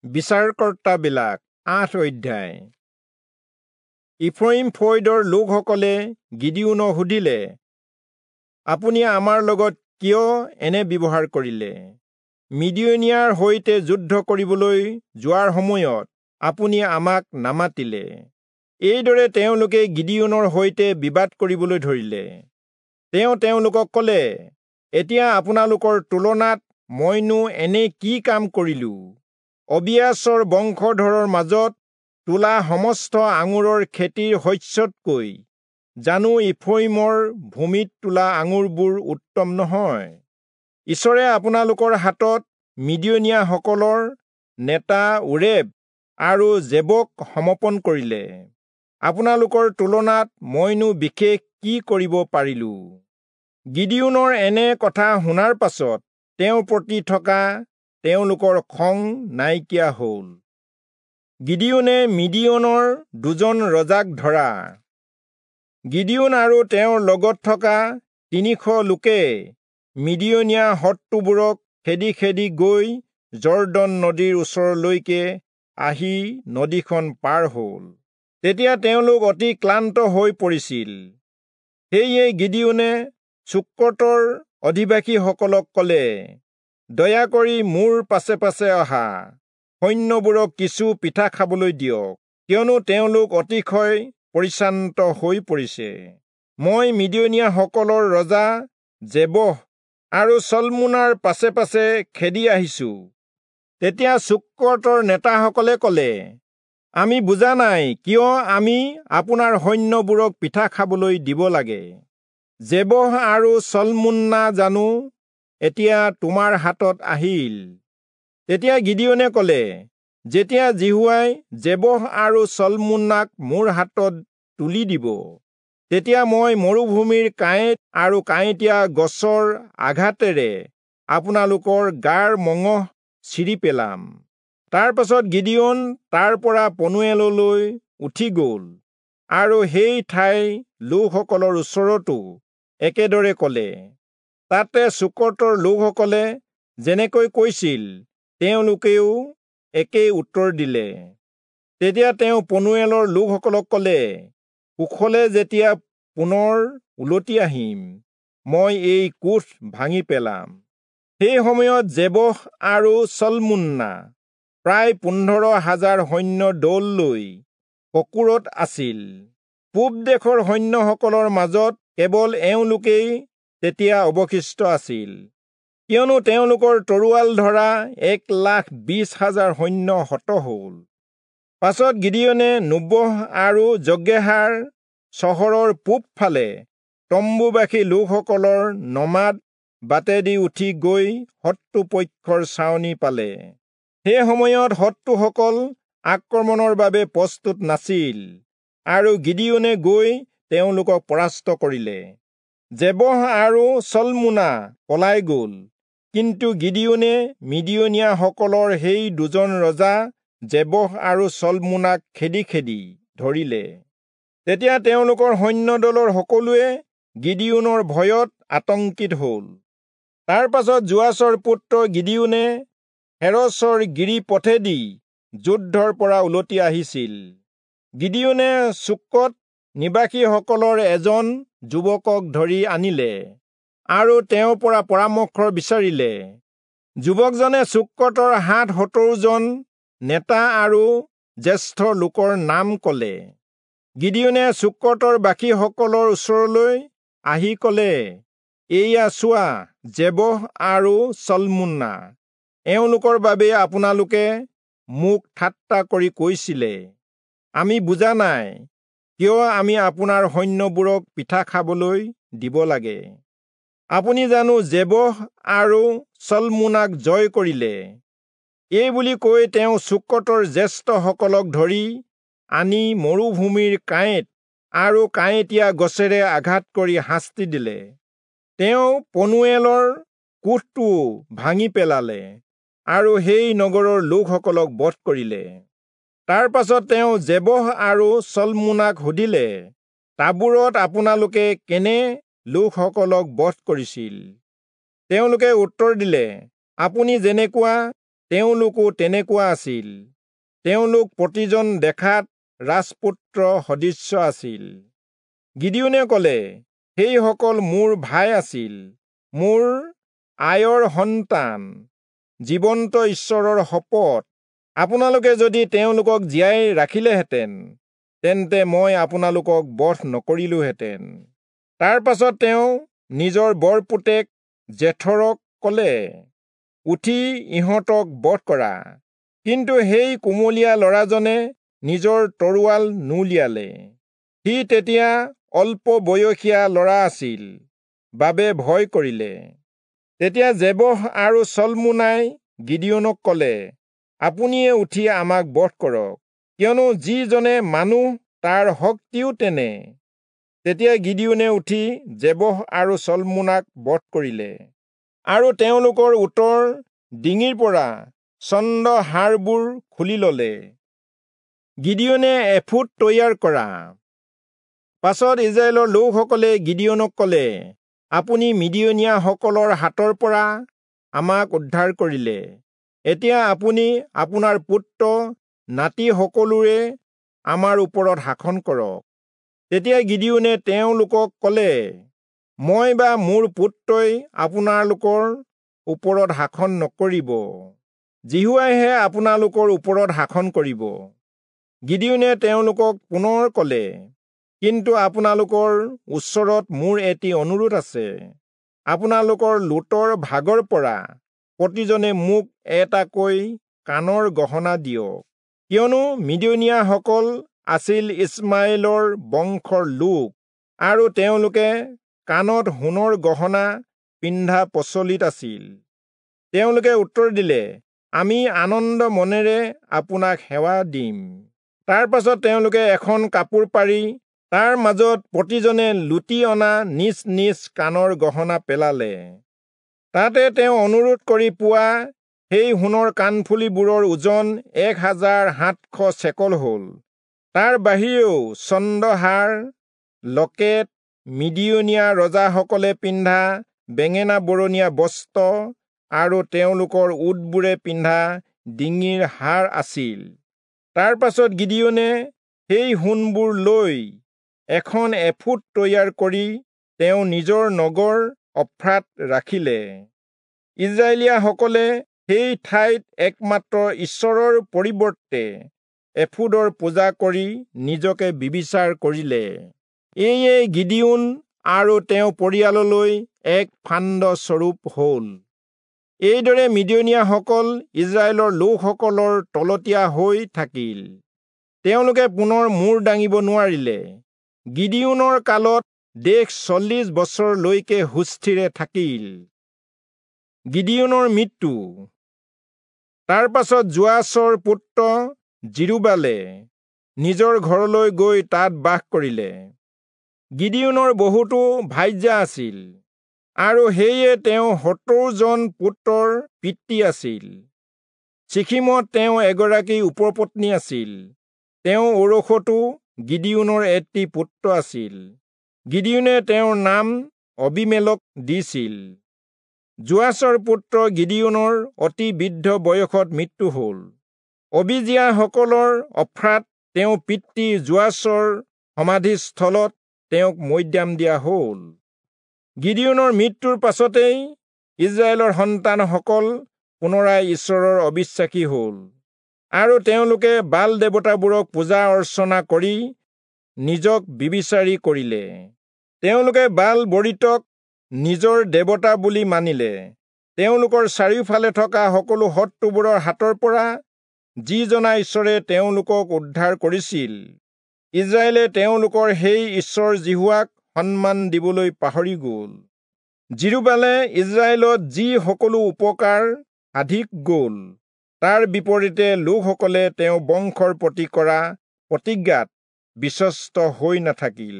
বিচাৰকৰ্তাবিলাক ৮ অধ্যায়। ইফ্ৰয়িম ফৈদৰ লোকসকলে গিদিয়োনক সুধিলে, আপুনি আমাৰ লগত কিয় এনে ব্যৱহাৰ কৰিলে? মিদিয়নীয়াৰ সৈতে যুদ্ধ কৰিবলৈ যোৱাৰ সময়ত আপুনি আমাক নামাতিলে। এইদৰে তেওঁলোকে গিদিয়োনৰ সৈতে বিবাদ কৰিবলৈ ধৰিলে। তেওঁ তেওঁলোকক ক'লে, এতিয়া আপোনালোকৰ তুলনাত মইনো এনে কি কাম কৰিলো? অবিয়াচৰ বংশধৰৰ মাজত তোলা সমস্ত আঙুৰৰ খেতিৰ শস্যতকৈ জানো ইফ্ৰয়িমৰ ভূমিত তোলা আঙুৰবোৰ উত্তম নহয়? ঈশ্বৰে আপোনালোকৰ হাতত মিদিয়নীয়াসকলৰ নেতা ওৰেব আৰু জেবক সমৰ্পণ কৰিলে। আপোনালোকৰ তুলনাত মইনো বিশেষ কি কৰিব পাৰিলো? গিদিয়োনৰ এনে কথা শুনাৰ পাছত তেওঁৰ প্ৰতি থকা তেওঁলোকৰ খং নাইকিয়া হ'ল। গিদিয়োনে মিদিয়নৰ দুজন ৰজাক ধৰা। গিদিয়োন আৰু তেওঁৰ লগত থকা ৩০০ লোকে মিদিয়নীয়া শত্ৰুবোৰক খেদি খেদি গৈ যৰ্দন নদীৰ ওচৰলৈকে আহি নদীখন পাৰ হ'ল। তেতিয়া তেওঁলোক অতি ক্লান্ত হৈ পৰিছিল। সেয়ে গিদিয়োনে চুক্কতৰ অধিবাসীসকলক ক'লে, দয়া কৰি মোৰ পাছে পাছে অহা, সৈন্যবোৰক কিছু পিঠা খাবলৈ দিয়ক, কিয়নো তেওঁলোক অতিশয় পৰিশ্ৰান্ত হৈ পৰিছে। মই মিদিয়নীয়াসকলৰ ৰজা জেবহ আৰু চলমুনাৰ পাছে পাছে খেদি আহিছো। তেতিয়া চুক্কতৰ নেতাসকলে ক'লে, আমি বুজা নাই কিয় আমি আপোনাৰ সৈন্যবোৰক পিঠা খাবলৈ দিব লাগে। জেবহ আৰু চলমুন্না জানো এতিয়া তোমাৰ হাতত আহিল? তেতিয়া গিদিয়োনে ক'লে, যেতিয়া যিহোৱাই জেবহ আৰু চলমুন্নাক মোৰ হাতত তুলি দিব, তেতিয়া মই মৰুভূমিৰ কাঁইট আৰু কাঁইটীয়া গছৰ আঘাতেৰে আপোনালোকৰ গাৰ মঙহ ছিৰি পেলাম। তাৰ পাছত গিদিয়োন তাৰ পৰা পনুৱেললৈ উঠি গ'ল আৰু সেই ঠাইৰ লোকসকলৰ ওচৰতো একেদৰে ক'লে। তাতে চুক্কতৰ লোকসকলে যেনেকৈ কৈছিল, তেওঁলোকেও একেই উত্তৰ দিলে। তেতিয়া তেওঁ পনুৱেলৰ লোকসকলক ক'লে, কুশলে যেতিয়া পুনৰ উলটি আহিম, মই এই কোঠ ভাঙি পেলাম। সেই সময়ত জেবহ আৰু চলমুন্না প্ৰায় ১৫,০০০ সৈন্য দল লৈ ককোৰত আছিল। পূব দেশৰ সৈন্যসকলৰ মাজত কেৱল এওঁলোকেই তেতিয়া অৱশিষ্ট আছিল, কিয়নো তেওঁলোকৰ তৰোৱাল ধৰা ১,২০,০০০ সৈন্য হত হ'ল। পাছত গিদিয়োনে নোবহ আৰু যগ্বেহাৰ চহৰৰ পূবফালে তম্বুবাসী লোকসকলৰ নমাদ বাটেদি উঠি গৈ শত্ৰুপক্ষৰ ছাউনি পালে। সেই সময়ত শত্ৰুসকল আক্ৰমণৰ বাবে প্ৰস্তুত নাছিল আৰু গিদিয়োনে গৈ তেওঁলোকক পৰাস্ত কৰিলে। জেবহ আৰু চলমুনা পলাই গ'ল, কিন্তু গিদিয়োনে মিদিয়নীয়াসকলৰ সেই দুজন ৰজা জেবহ আৰু চলমুনাক খেদি খেদি ধৰিলে। তেতিয়া তেওঁলোকৰ সৈন্যদলৰ সকলোৱে গিদিয়োনৰ ভয়ত আতংকিত হ'ল। তাৰ পাছত যোৱাচৰ পুত্ৰ গিদিয়োনে হেৰচৰ গিৰিপথেদি যুদ্ধৰ পৰা উলটি আহিছিল। গিদিয়োনে চুক্কত নিবাসীসকলৰ এজন যুৱকক ধৰি আনিলে আৰু তেওঁৰ পৰা পৰামৰ্শ বিচাৰিলে। যুৱকজনে চুক্কতৰ ৭৭ জন নেতা আৰু জ্যেষ্ঠ লোকৰ নাম ক'লে। গিদিয়োনে চুক্কতৰ বাকীসকলৰ ওচৰলৈ আহি ক'লে, এইয়া চোৱা, জেবহ আৰু চলমুন্না, এওঁলোকৰ বাবে আপোনালোকে মোক ঠাট্টা কৰি কৈছিলে, আমি বুজা নাই কিয় আমি আপোনাৰ সৈন্যবোৰক পিঠা খাবলৈ দিব লাগে। আপুনি জানো জেবহ আৰু চলমুনাক জয় কৰিলে? এই বুলি কৈ তেওঁ চুক্কতৰ জ্যেষ্ঠসকলক ধৰি আনি মৰুভূমিৰ কাঁইট আৰু কাঁইটীয়া গছেৰে আঘাত কৰি শাস্তি দিলে। তেওঁ পনুৱেলৰ কোঠটোও ভাঙি পেলালে আৰু সেই নগৰৰ লোকসকলক বধ কৰিলে। তাৰ পাছত তেওঁ জেবহ আৰু চলমুনাক সুধিলে, তাবোৰত আপোনালোকে কেনে লোকসকলক বধ কৰিছিল? তেওঁলোকে উত্তৰ দিলে, আপুনি যেনেকুৱা তেওঁলোকো তেনেকুৱা আছিল। তেওঁলোক প্ৰতিজন দেখাত ৰাজপুত্ৰ সদৃশ্য আছিল। গিদিয়োনে ক'লে, সেইসকল মোৰ ভাই আছিল, মোৰ আয়ৰ সন্তান, জীৱন্ত ঈশ্বৰৰ শপত, আপোনালোকে যদি তেওঁলোকক জীয়াই ৰাখিলেহেঁতেন, তেন্তে মই আপোনালোকক বধ নকৰিলোহেঁতেন। তাৰ পাছত তেওঁ নিজৰ বৰপুতেক জেথৰক ক'লে, উঠি ইহঁতক বধ কৰা। কিন্তু সেই কুমলীয়া ল'ৰাজনে নিজৰ তৰোৱাল নুলিয়ালে। সি তেতিয়া অল্প বয়সীয়া ল'ৰা আছিল বাবে ভয় কৰিলে। তেতিয়া জেবহ আৰু চলমোনাই গিদিয়োনক ক'লে, আপুনিয়ে উঠি আমাক বধ কৰক, কিয়নো যিজনে মানুহ তাৰ শক্তিও তেনে। তেতিয়া গিদিয়োনে উঠি জেবহ আৰু চলমোনাক বধ কৰিলে আৰু তেওঁলোকৰ উটৰ ডিঙিৰ পৰা চন্দ্ৰহাৰবোৰ খুলি ললে। গিদিয়োনে এফোদ তৈয়াৰ কৰা। পাছত ইজৰাইলৰ লোকসকলে গিদিয়োনক ক'লে, আপুনি মিদিয়নীয়াসকলৰ হাতৰ পৰা আমাক উদ্ধাৰ কৰিলে, এতিয়া আপুনি আপোনাৰ পুত্ৰ নাতি সকলোৰে আমাৰ ওপৰত শাসন কৰক। তেতিয়া গিদিয়োনে তেওঁলোকক ক'লে, মই বা মোৰ পুত্ৰই আপোনালোকৰ ওপৰত শাসন নকৰিব, যিহোৱাইহে আপোনালোকৰ ওপৰত শাসন কৰিব। গিদিয়োনে তেওঁলোকক পুনৰ ক'লে, কিন্তু আপোনালোকৰ ওচৰত মোৰ এটি অনুৰোধ আছে। আপোনালোকৰ লোটৰ ভাগৰ পৰা প্ৰতিজনে মোক এটাকৈ কাণৰ গহনা দিয়ক, কিয়নো মিদিয়নীয়াসকল আছিল ইছমাইলৰ বংশৰ লোক আৰু তেওঁলোকে কাণত সোণৰ গহনা পিন্ধা প্ৰচলিত আছিল। তেওঁলোকে উত্তৰ দিলে, আমি আনন্দ মনেৰে আপোনাক সেৱা দিম। তাৰ পাছত তেওঁলোকে এখন কাপোৰ পাৰি তাৰ মাজত প্ৰতিজনে লুটি অনা নিজ নিজ কাণৰ গহনা পেলালে। তাতে তেওঁ অনুৰোধ কৰি পোৱা সেই সোণৰ কাণফুলিবোৰৰ ওজন 1700 চেকল হ'ল। তাৰ বাহিৰেও চন্দ্ৰহাৰ, লকেট, মিদিয়নীয়া ৰজাসকলে পিন্ধা বেঙেনা বৰণীয়া বস্ত্ৰ আৰু তেওঁলোকৰ উটবোৰে পিন্ধা ডিঙিৰ হাৰ আছিল। তাৰ পাছত গিদিয়োনে সেই সোণবোৰ লৈ এখন এফোদ তৈয়াৰ কৰি তেওঁ নিজৰ নগৰ অফ্ৰাত ৰাখিলে। ইজৰাইলীয়াসকলে সেই ঠাইত একমাত্ৰ ঈশ্বৰৰ পৰিৱৰ্তে এফোদৰ পূজা কৰি নিজকে ব্যভিচাৰ কৰিলে। এয়ে গিদিয়োন আৰু তেওঁ পৰিয়াললৈ এক ফান্দ স্বৰূপ হ'ল। এইদৰে মিদিয়নীয়াসকল ইজৰাইলৰ লোকসকলৰ তলতীয়া হৈ থাকিল। তেওঁলোকে পুনৰ মূৰ দাঙিব নোৱাৰিলে। গিদিয়োনৰ কালত দেশ 40 বছৰলৈকে সুস্থিৰে থাকিল। গিদিয়োনৰ মৃত্যু। তাৰ পাছত যোৱাচৰ পুত্ৰ যিৰুবালে নিজৰ ঘৰলৈ গৈ তাত বাস কৰিলে। গিদিয়োনৰ বহুতো ভাৰ্যা আছিল আৰু সেয়ে তেওঁ 70 জন পুত্ৰৰ পিতৃ আছিল। চিখিমত তেওঁ এগৰাকী উপপত্নী আছিল। তেওঁ ঔৰসতো গিদিয়োনৰ এটি পুত্ৰ আছিল। গিদিয়োনে তেওঁৰ নাম অবিমেলক দিছিল। যোৱাচৰ পুত্ৰ গিদিয়োনৰ অতি বৃদ্ধ বয়সত মৃত্যু হ'ল। অবিজিয়াসকলৰ অফ্ৰাত তেওঁ পিতৃ যোৱাচৰ সমাধিস্থলত তেওঁক মৈদাম দিয়া হ'ল। গিদিয়োনৰ মৃত্যুৰ পাছতেই ইজৰাইলৰ সন্তানসকল পুনৰাই ঈশ্বৰৰ অবিশ্বাসী হ'ল আৰু তেওঁলোকে বাল দেৱতাবোৰক পূজা অৰ্চনা কৰি নিজক ব্যভিচাৰী কৰিলে। তেওঁলোকে বাল বৰিতক নিজৰ দেৱতা বুলি মানিলে। তেওঁলোকৰ চাৰিওফালে থকা সকলো শত্ৰুবোৰৰ হাতৰ পৰা যিজনা ঈশ্বৰে তেওঁলোকক উদ্ধাৰ কৰিছিল, ইজৰাইলে তেওঁলোকৰ সেই ঈশ্বৰ যিহোৱাক সন্মান দিবলৈ পাহৰি গ'ল। যিৰুবালে ইজৰাইলত যি সকলো উপকাৰ সাধি গ'ল, তাৰ বিপৰীতে লোকসকলে তেওঁ বংশৰ প্ৰতি কৰা প্ৰতিজ্ঞাত বিশ্বস্ত হৈ নাথাকিল।